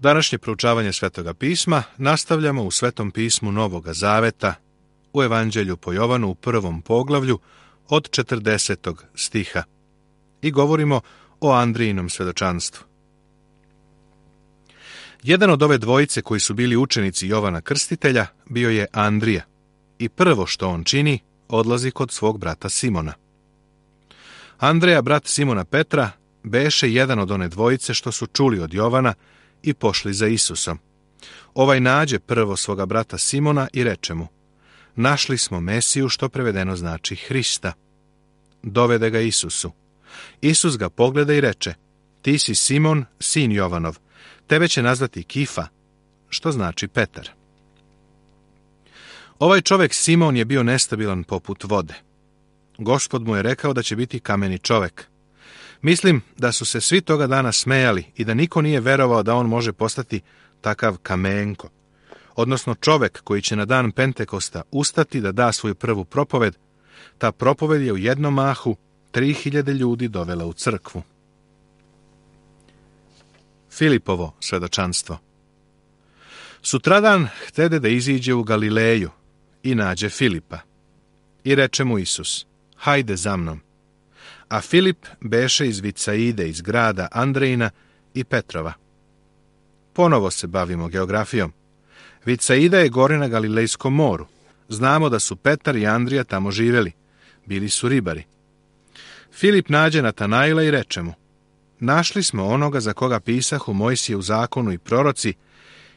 Današnje proučavanje Svetoga pisma nastavljamo u Svetom pismu Novoga Zaveta, u Evanđelju po Jovanu u 1. poglavlju od 40. stiha i govorimo o Andrijinom svedočanstvu. Jedan od ove dvojice koji su bili učenici Jovana Krstitelja bio je Andrija i prvo što on čini, odlazi kod svog brata Simona. Andreja, brat Simona Petra, beše jedan od one dvojice što su čuli od Jovana i pošli za Isusom. Ovaj nađe prvo svoga brata Simona i reče mu: našli smo Mesiju, što prevedeno znači Hrista. Dovede ga Isusu. Isus ga pogleda i reče: ti si Simon, sin Jovanov, tebe će nazvati Kifa, što znači Petar. Ovaj čovjek Simon je bio nestabilan poput vode. Gospod mu je rekao da će biti kameni čovjek. Mislim da su se svi toga dana smejali i da niko nije verovao da on može postati takav kamenko, odnosno čovjek koji će na dan Pentekosta ustati da da svoju prvu propoved. Ta propoved je u jednom mahu 3000 ljudi dovela u crkvu. Filipovo svedočanstvo. Sutradan htede da iziđe u Galileju i nađe Filipa. I reče mu Isus: hajde za mnom. A Filip beše iz Vicaide, iz grada Andrejina i Petrova. Ponovo se bavimo geografijom. Vicaida je gore na Galilejskom moru. Znamo da su Petar i Andrija tamo živjeli. Bili su ribari. Filip nađe Natanaila i reče mu: našli smo onoga za koga pisahu Mojsije u zakonu i proroci,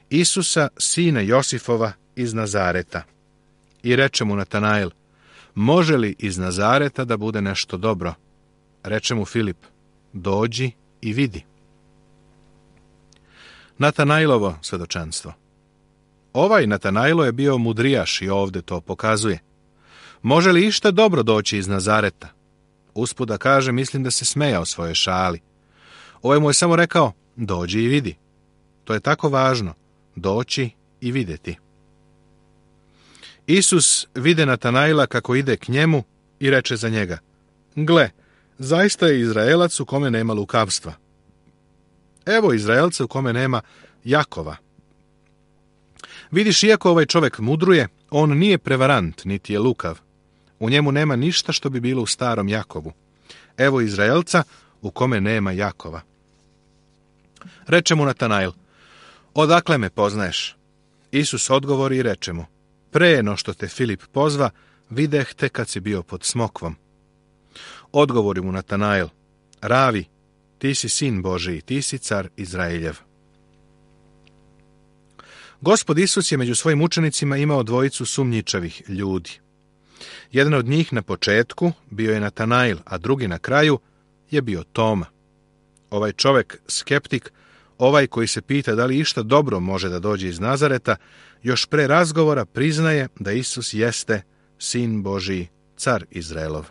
Isusa, sina Josifova iz Nazareta. I reče mu Natanail: može li iz Nazareta da bude nešto dobro? Reče mu Filip: dođi i vidi. Natanailovo svedočanstvo. Ovaj Natanailo je bio mudrijaš i ovdje to pokazuje. Može li išta dobro doći iz Nazareta? Usput da kaže, mislim da se smejao svojoj šali. Ovaj mu je samo rekao: dođi i vidi. To je tako važno, doći i vidjeti. Isus vide Natanaila kako ide k njemu i reče za njega: gle, zaista je Izraelac u kome nema lukavstva. Evo Izraelca u kome nema Jakova. Vidiš, iako ovaj čovjek mudruje, on nije prevarant, niti je lukav. U njemu nema ništa što bi bilo u starom Jakovu. Evo Izraelca u kome nema Jakova. Reče mu Natanail: odakle me poznaješ? Isus odgovori i reče mu: pre no što te Filip pozva, videh te kad si bio pod smokvom. Odgovori mu Natanail: ravi, ti si sin Božiji, ti si car Izraeljev. Gospod Isus je među svojim učenicima imao dvojicu sumnjičavih ljudi. Jedan od njih na početku bio je Natanail, a drugi na kraju je bio Toma. Ovaj čovjek, skeptik, ovaj koji se pita da li išta dobro može da dođe iz Nazareta, još pre razgovora priznaje da Isus jeste sin Božiji, car Izraelov.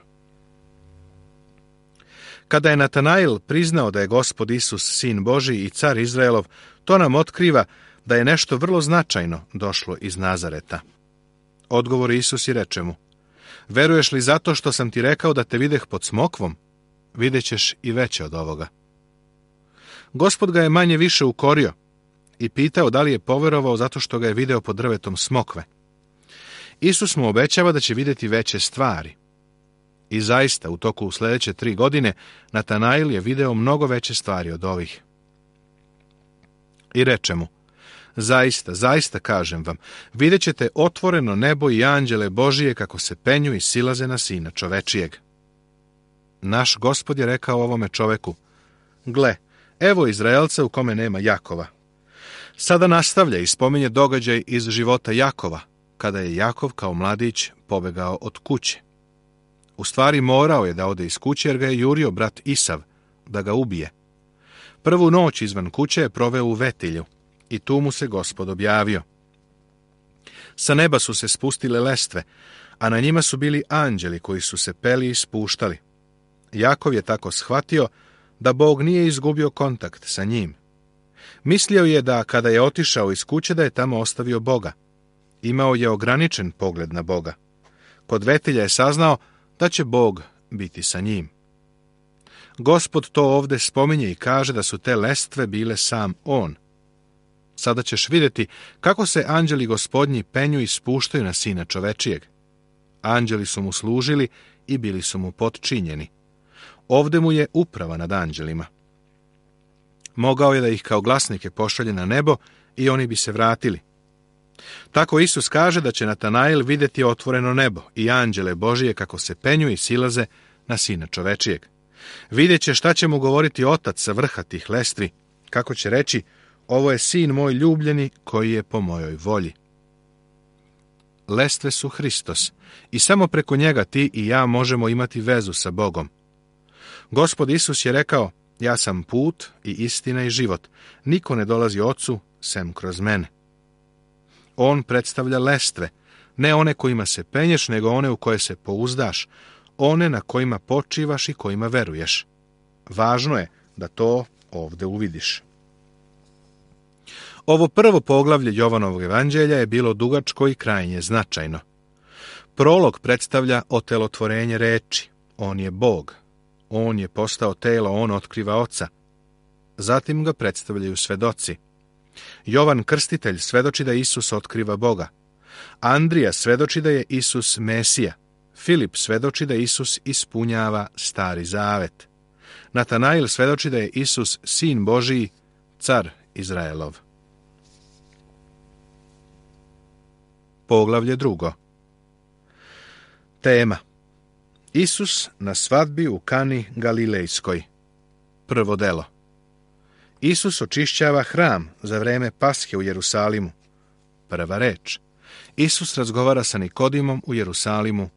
Kada je Natanail priznao da je Gospod Isus sin Božiji i car Izraelov, to nam otkriva da je nešto vrlo značajno došlo iz Nazareta. Odgovori Isus i reče mu: veruješ li zato što sam ti rekao da te videh pod smokvom? Vidjet ćeš i veće od ovoga. Gospod ga je manje više ukorio i pitao da li je poverovao zato što ga je video pod drvetom smokve. Isus mu obećava da će vidjeti veće stvari. I zaista, u toku sljedeće 3 godine, Natanail je video mnogo veće stvari od ovih. I reče mu: zaista, zaista kažem vam, vidjet ćete otvoreno nebo i anđele Božije kako se penju i silaze na sina čovečijeg. Naš Gospod je rekao ovome čoveku: gle, evo Izraelca u kome nema Jakova. Sada nastavlja i spominje događaj iz života Jakova, kada je Jakov kao mladić pobegao od kuće. U stvari morao je da ode iz kuće jer ga je jurio brat Isav da ga ubije. Prvu noć izvan kuće je proveo u Vetilju i tu mu se Gospod objavio. Sa neba su se spustile lestve, a na njima su bili anđeli koji su se peli i spuštali. Jakov je tako shvatio da Bog nije izgubio kontakt sa njim. Mislio je da kada je otišao iz kuće da je tamo ostavio Boga. Imao je ograničen pogled na Boga. Kod Vetilja je saznao da će Bog biti sa njim. Gospod to ovdje spominje i kaže da su te lestve bile sam on. Sada ćeš vidjeti kako se anđeli gospodnji penju i spuštaju na sina čovečijeg. Anđeli su mu služili i bili su mu potčinjeni. Ovde mu je uprava nad anđelima. Mogao je da ih kao glasnike pošalje na nebo i oni bi se vratili. Tako Isus kaže da će Natanael vidjeti otvoreno nebo i anđele Božije kako se penju i silaze na sina čovečijeg. Vidjet će šta će mu govoriti otac sa vrha tih lestvi, kako će reći: ovo je sin moj ljubljeni koji je po mojoj volji. Lestve su Hristos i samo preko njega ti i ja možemo imati vezu sa Bogom. Gospod Isus je rekao: ja sam put i istina i život. Niko ne dolazi ocu sem kroz mene. On predstavlja lestve, ne one kojima se penješ, nego one u koje se pouzdaš, one na kojima počivaš i kojima veruješ. Važno je da to ovde uvidiš. Ovo prvo poglavlje Jovanovog evanđelja je bilo dugačko i krajnje značajno. Prolog predstavlja otelotvorenje reči. On je Bog. On je postao telo, on otkriva Oca. Zatim ga predstavljaju svedoci. Jovan Krstitelj svedoči da Isus otkriva Boga. Andrija svedoči da je Isus Mesija. Filip svedoči da Isus ispunjava Stari Zavet. Natanail svedoči da je Isus Sin Božiji, car Izraelov. Poglavlje 2. Tema: Isus na svadbi u Kani Galilejskoj. Prvo delo. Isus očišćava hram za vreme Pashe u Jerusalimu. Prva reč. Isus razgovara sa Nikodimom u Jerusalimu.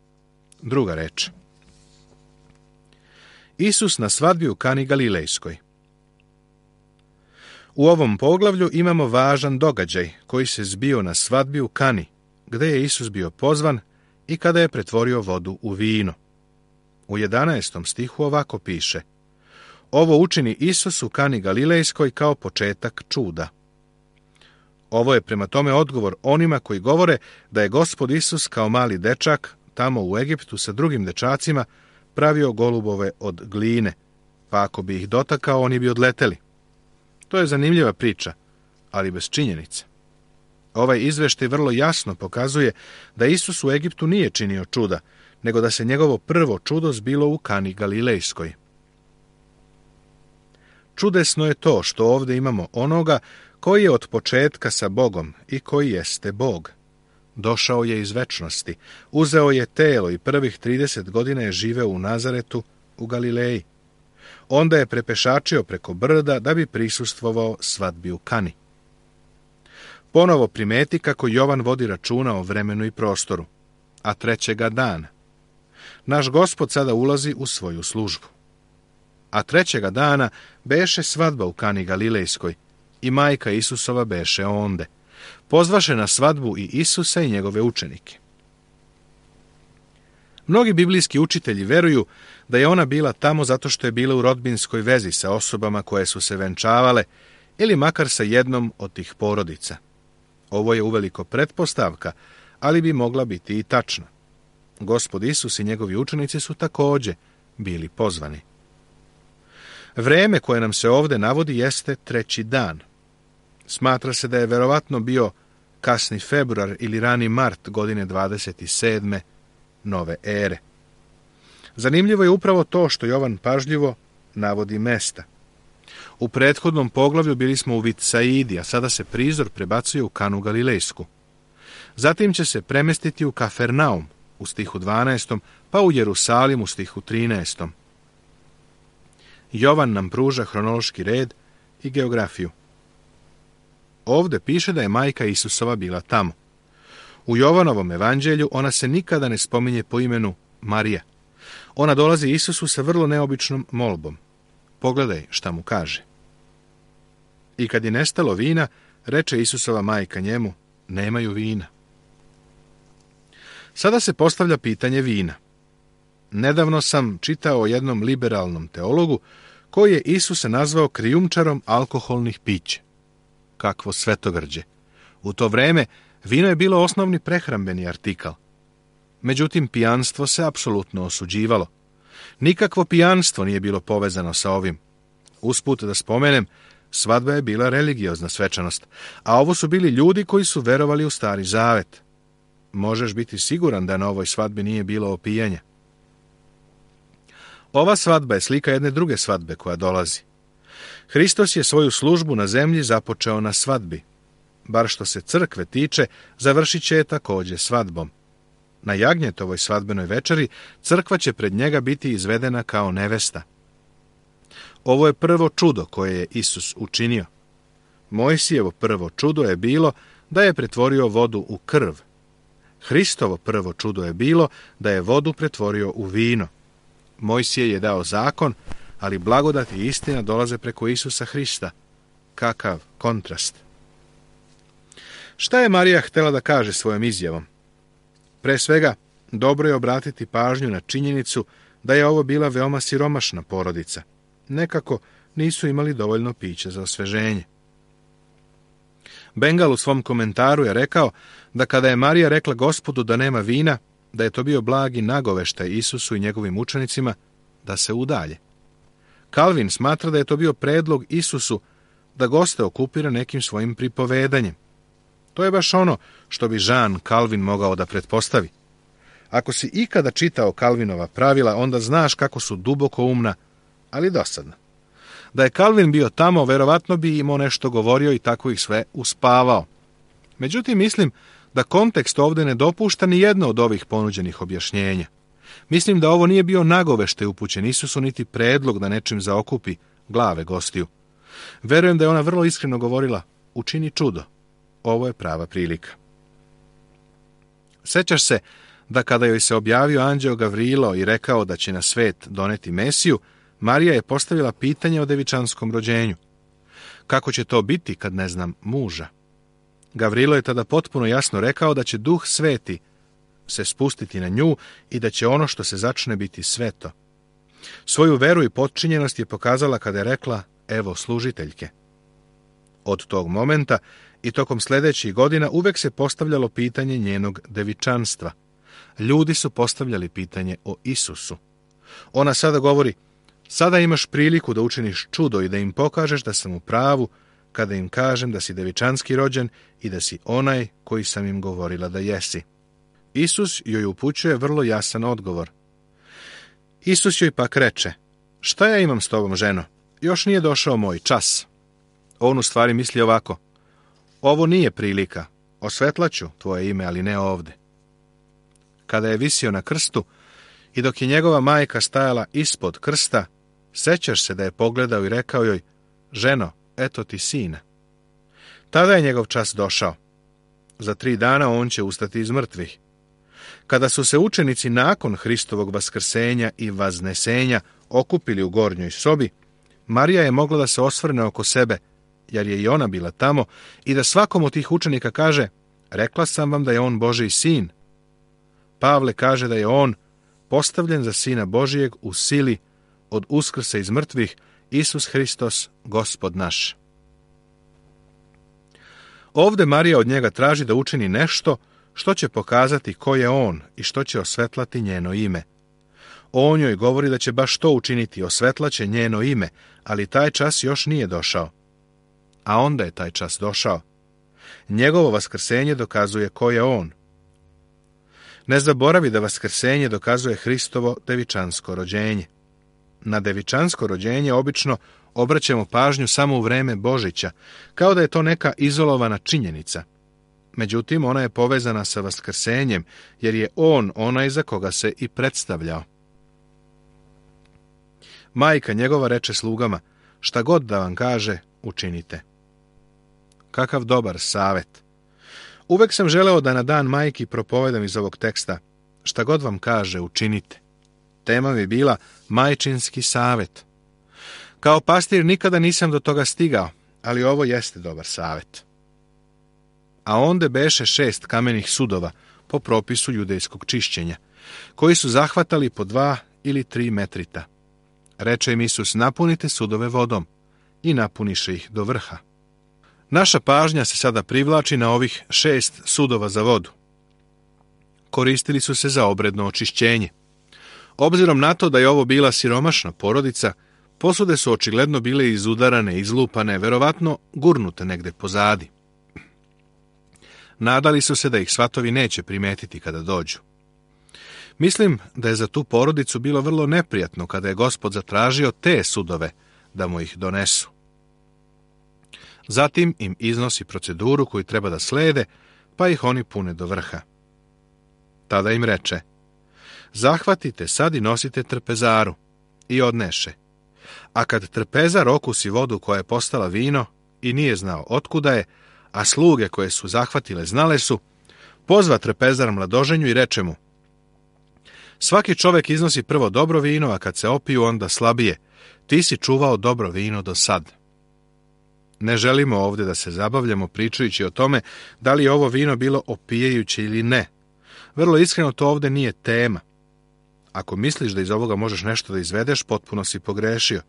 Druga reč. Isus na svadbi u Kani Galilejskoj. U ovom poglavlju imamo važan događaj koji se zbio na svadbi u Kani, gde je Isus bio pozvan i kada je pretvorio vodu u vino. U 11. stihu ovako piše: ovo učini Isus u Kani Galilejskoj kao početak čuda. Ovo je prema tome odgovor onima koji govore da je Gospod Isus kao mali dečak tamo u Egiptu sa drugim dečacima pravio golubove od gline, pa ako bi ih dotakao, oni bi odleteli. To je zanimljiva priča, ali bez činjenica. Ovaj izveštaj vrlo jasno pokazuje da Isus u Egiptu nije činio čuda, nego da se njegovo prvo čudo zbilo u Kani Galilejskoj. Čudesno je to što ovdje imamo onoga koji je od početka sa Bogom i koji jeste Bog. Došao je iz večnosti, uzeo je telo i prvih 30 godina je živeo u Nazaretu u Galileji. Onda je prepešačio preko brda da bi prisustvovao svadbi u Kani. Ponovo primeti kako Jovan vodi računa o vremenu i prostoru, a trećega dana. Naš Gospod sada ulazi u svoju službu. A trećega dana beše svadba u Kani Galilejskoj i majka Isusova beše onde. Pozvaše na svadbu i Isusa i njegove učenike. Mnogi biblijski učitelji veruju da je ona bila tamo zato što je bila u rodbinskoj vezi sa osobama koje su se venčavale ili makar sa jednom od tih porodica. Ovo je uveliko pretpostavka, ali bi mogla biti i tačna. Gospod Isus i njegovi učenici su također bili pozvani. Vreme koje nam se ovdje navodi jeste treći dan. Smatra se da je verovatno bio kasni februar ili rani mart godine 27. nove ere. Zanimljivo je upravo to što Jovan pažljivo navodi mesta. U prethodnom poglavlju bili smo u Vitsaidi, a sada se prizor prebacuje u Kanu Galilejsku. Zatim će se premestiti u Kafernaum u stihu 12. pa u Jerusalim u stihu 13. Jovan nam pruža hronološki red i geografiju. Ovde piše da je majka Isusova bila tamo. U Jovanovom evanđelju ona se nikada ne spominje po imenu Marija. Ona dolazi Isusu sa vrlo neobičnom molbom. Pogledaj šta mu kaže. I kad je nestalo vina, reče Isusova majka njemu: nemaju vina. Sada se postavlja pitanje vina. Nedavno sam čitao o jednom liberalnom teologu koji je Isusa nazvao krijumčarom alkoholnih pića. Kakvo svetogrđe! U to vreme vino je bilo osnovni prehrambeni artikal. Međutim, pijanstvo se apsolutno osuđivalo. Nikakvo pijanstvo nije bilo povezano sa ovim. Usput da spomenem, Svadba je bila religiozna svečanost, a ovo su bili ljudi koji su verovali u Stari Zavet. Možeš biti siguran da na ovoj svadbi nije bilo opijanja. Ova svadba je slika jedne druge svadbe koja dolazi. Hristos je svoju službu na zemlji započeo na svadbi. Bar što se crkve tiče, završit će je također svadbom. Na jagnjetovoj svadbenoj večeri crkva će pred njega biti izvedena kao nevesta. Ovo je prvo čudo koje je Isus učinio. Mojsijevo prvo čudo je bilo da je pretvorio vodu u krv. Hristovo prvo čudo je bilo da je vodu pretvorio u vino. Mojsije je dao zakon, ali blagodat i istina dolaze preko Isusa Hrista. Kakav kontrast! Šta je Marija htjela da kaže svojom izjavom? Pre svega, dobro je obratiti pažnju na činjenicu da je ovo bila veoma siromašna porodica. Nekako nisu imali dovoljno pića za osveženje. Bengal u svom komentaru je rekao da kada je Marija rekla Gospodu da nema vina, da je to bio blagi nagoveštaj Isusu i njegovim učenicima da se udalje. Calvin smatra da je to bio predlog Isusu da goste okupira nekim svojim pripovedanjem. To je baš ono što bi Jean Calvin mogao da pretpostavi. Ako si ikada čitao Calvinova pravila, onda znaš kako su duboko umna, ali dosadna. Da je Calvin bio tamo, verovatno bi imao nešto govorio i tako ih sve uspavao. Međutim, mislim da kontekst ovdje ne dopušta ni jedno od ovih ponuđenih objašnjenja. Mislim da ovo nije bio nagoveštaj upućen Isusu, niti predlog da nečim zaokupi glave gostiju. Verujem da je ona vrlo iskreno govorila, učini čudo. Ovo je prava prilika. Sećaš se da kada joj se objavio anđeo Gavrilo i rekao da će na svet doneti Mesiju, Marija je postavila pitanje o devičanskom rođenju. Kako će to biti kad ne znam muža? Gavrilo je tada potpuno jasno rekao da će Duh Sveti se spustiti na nju i da će ono što se začne biti sveto. Svoju veru i potčinjenost je pokazala kada je rekla, evo služiteljke. Od tog momenta i tokom sljedećih godina uvek se postavljalo pitanje njenog devičanstva. Ljudi su postavljali pitanje o Isusu. Ona sada govori, sada imaš priliku da učiniš čudo i da im pokažeš da sam u pravu kada im kažem da si devičanski rođen i da si onaj koji sam im govorila da jesi. Isus joj upućuje vrlo jasan odgovor. Isus joj pak reče, šta ja imam s tobom, ženo? Još nije došao moj čas. On u stvari misli ovako, ovo nije prilika, osvetlaću tvoje ime, ali ne ovde. Kada je visio na krstu i dok je njegova majka stajala ispod krsta, sećaš se da je pogledao i rekao joj, ženo, eto ti sina. Tada je njegov čas došao. Za 3 dana on će ustati iz mrtvih. Kada su se učenici nakon Hristovog vaskrsenja i vaznesenja okupili u gornjoj sobi, Marija je mogla da se osvrne oko sebe, jer je i ona bila tamo, i da svakom od tih učenika kaže, rekla sam vam da je on Božji sin. Pavle kaže da je on postavljen za sina Božijeg u sili od uskrsa iz mrtvih, Isus Hristos, Gospod naš. Ovde Marija od njega traži da učini nešto što će pokazati ko je on i što će osvetlati njeno ime. On joj govori da će baš to učiniti, osvetlaće njeno ime, ali taj čas još nije došao. A onda je taj čas došao. Njegovo vaskrsenje dokazuje ko je on. Ne zaboravi da vaskrsenje dokazuje Hristovo devičansko rođenje. Na devičansko rođenje obično obraćamo pažnju samo u vreme Božića, kao da je to neka izolovana činjenica. Međutim, ona je povezana sa vaskrsenjem, jer je on onaj za koga se i predstavljao. Majka njegova reče slugama, šta god da vam kaže, učinite. Kakav dobar savet! Uvek sam želeo da na dan majki propovedam iz ovog teksta, šta god vam kaže, učinite. Tema bi bila majčinski savet. Kao pastir nikada nisam do toga stigao, ali ovo jeste dobar savet. A onda beše 6 kamenih sudova po propisu judejskog čišćenja, koji su zahvatali po 2 ili 3 metrita. Reče im Isus, napunite sudove vodom, i napuniše ih do vrha. Naša pažnja se sada privlači na ovih 6 sudova za vodu. Koristili su se za obredno očišćenje. Obzirom na to da je ovo bila siromašna porodica, Posude su očigledno bile izudarane, izlupane, verovatno gurnute negde pozadi. Nadali su se da ih svatovi neće primetiti kada dođu. Mislim da je za tu porodicu bilo vrlo neprijatno kada je Gospod zatražio te sudove da mu ih donesu. Zatim im iznosi proceduru koju treba da slede, pa ih oni pune do vrha. Tada im reče: zahvatite sad i nosite trpezaru. I odneše. A kad trpezar okusi vodu koja je postala vino i nije znao otkuda je, a sluge koje su zahvatile znale su, pozva trpezar mladoženju i reče mu: svaki čovek iznosi prvo dobro vino, a kad se opiju onda slabije. Ti si čuvao dobro vino do sad. Ne želimo ovdje da se zabavljamo pričajući o tome da li je ovo vino bilo opijajuće ili ne. Vrlo iskreno, to ovdje nije tema. Ako misliš da iz ovoga možeš nešto da izvedeš, potpuno si pogrešio.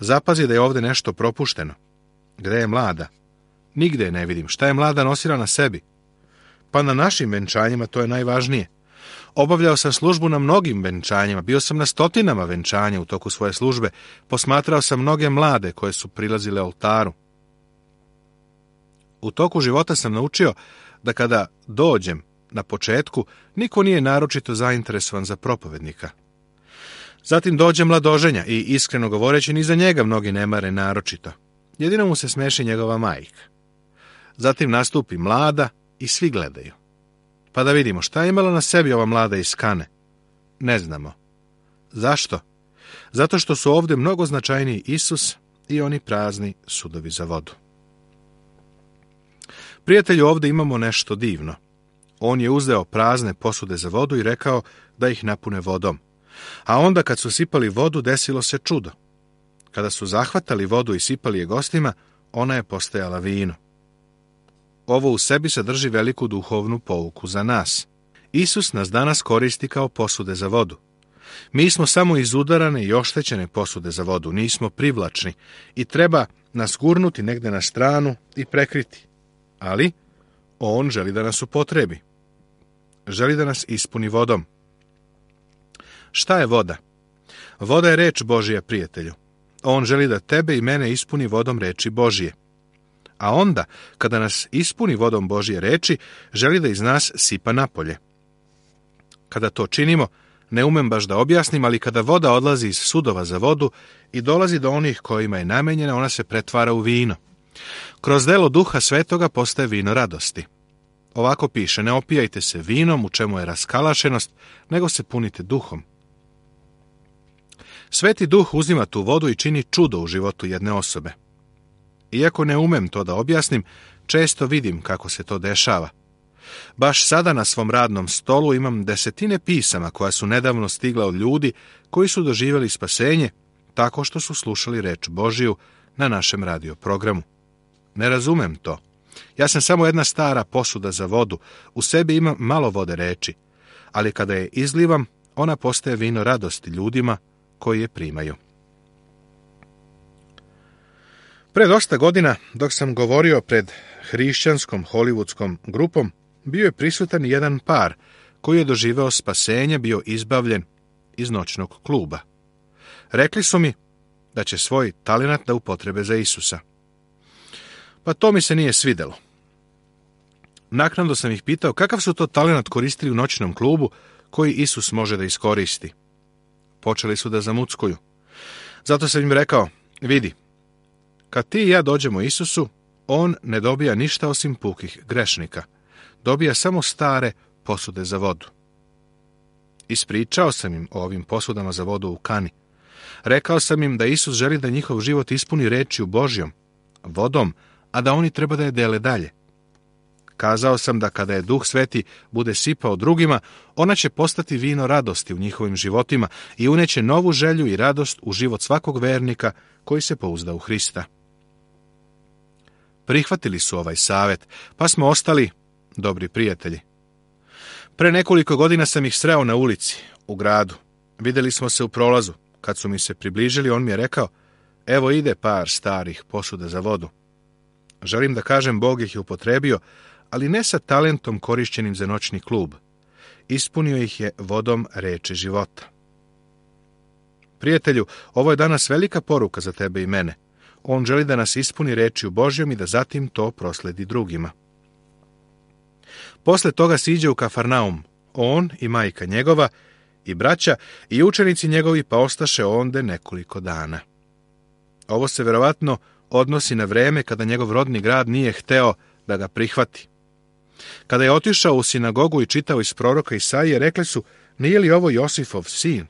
Zapazi da je ovdje nešto propušteno. Gde je mlada? Nigde je ne vidim. Šta je mlada nosila na sebi? Pa na našim venčanjima to je najvažnije. Obavljao sam službu na mnogim venčanjima, bio sam na stotinama venčanja u toku svoje službe, posmatrao sam mnoge mlade koje su prilazile oltaru. U toku života sam naučio da kada dođem na početku, niko nije naročito zainteresovan za propovednika. Zatim dođe mladoženja i, iskreno govoreći, ni za njega mnogi ne mare naročito. Jedino mu se smeši njegova majka. Zatim nastupi mlada i svi gledaju. Pa da vidimo šta je imala na sebi ova mlada iz Kane. Ne znamo. Zašto? Zato što su ovdje mnogo značajniji Isus i oni prazni sudovi za vodu. Prijatelju, ovdje imamo nešto divno. On je uzeo prazne posude za vodu i rekao da ih napune vodom. A onda kad su sipali vodu, desilo se čudo. Kada su zahvatali vodu i sipali je gostima, ona je postajala vino. Ovo u sebi sadrži veliku duhovnu pouku za nas. Isus nas danas koristi kao posude za vodu. Mi smo samo izudarane i oštećene posude za vodu, nismo privlačni i treba nas gurnuti negde na stranu i prekriti. Ali on želi da nas upotrebi. Želi da nas ispuni vodom. Šta je voda? Voda je reč Božija, prijatelju. On želi da tebe i mene ispuni vodom reči Božije. A onda, kada nas ispuni vodom Božje reči, želi da iz nas sipa napolje. Kada to činimo, ne umem baš da objasnim, ali kada voda odlazi iz sudova za vodu i dolazi do onih kojima je namenjena, ona se pretvara u vino. Kroz delo Duha Svetoga postaje vino radosti. Ovako piše: ne opijajte se vinom u čemu je raskalašenost, nego se punite duhom. Sveti Duh uzima tu vodu i čini čudo u životu jedne osobe. Iako ne umem to da objasnim, često vidim kako se to dešava. Baš sada na svom radnom stolu imam desetine pisama koja su nedavno stigla od ljudi koji su doživjeli spasenje tako što su slušali reč Božiju na našem radio programu. Ne razumem to. Ja sam samo jedna stara posuda za vodu, u sebi imam malo vode reči, ali kada je izlivam, ona postaje vino radosti ljudima koji je primaju. Pre dosta godina, dok sam govorio pred hrišćanskom hollywoodskom grupom, bio je prisutan jedan par koji je doživeo spasenje, bio izbavljen iz noćnog kluba. Rekli su mi da će svoj talenat da upotrebe za Isusa. Pa to mi se nije svidelo. Naknadno sam ih pitao kakav su to talenat koristili u noćnom klubu koji Isus može da iskoristi. Počeli su da zamuckuju. Zato sam im rekao: vidi, kad ti i ja dođemo Isusu, on ne dobija ništa osim pukih grešnika. Dobija samo stare posude za vodu. Ispričao sam im o ovim posudama za vodu u Kani. Rekao sam im da Isus želi da njihov život ispuni rečju Božjom, vodom, a da oni treba da je dele dalje. Kazao sam da kada je Duh Sveti bude sipao drugima, ona će postati vino radosti u njihovim životima i uneće novu želju i radost u život svakog vernika koji se pouzda u Hrista. Prihvatili su ovaj savjet, pa smo ostali dobri prijatelji. Pre nekoliko godina sam ih sreo na ulici, u gradu. Vidjeli smo se u prolazu. Kad su mi se približili, on mi je rekao: evo ide par starih posuda za vodu. Želim da kažem, Bog ih je upotrebio, ali ne sa talentom korišćenim za noćni klub. Ispunio ih je vodom reči života. prijatelju, ovo je danas velika poruka za tebe i mene. On želi da nas ispuni rečju Božjom i da zatim to prosledi drugima. Posle toga siđe u Kafarnaum, on i majka njegova, i braća, i učenici njegovi, pa ostaše onde nekoliko dana. Ovo se verovatno odnosi na vreme kada njegov rodni grad nije hteo da ga prihvati. Kada je otišao u sinagogu i čitao iz proroka Isaije, rekli su, nije li ovo Josifov sin?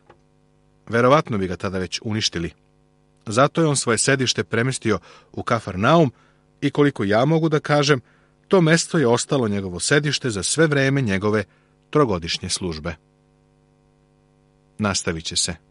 Verovatno bi ga tada već uništili. Zato je on svoje sedište premestio u Kafarnaum i koliko ja mogu da kažem, to mesto je ostalo njegovo sedište za sve vreme njegove trogodišnje službe. Nastavit će se.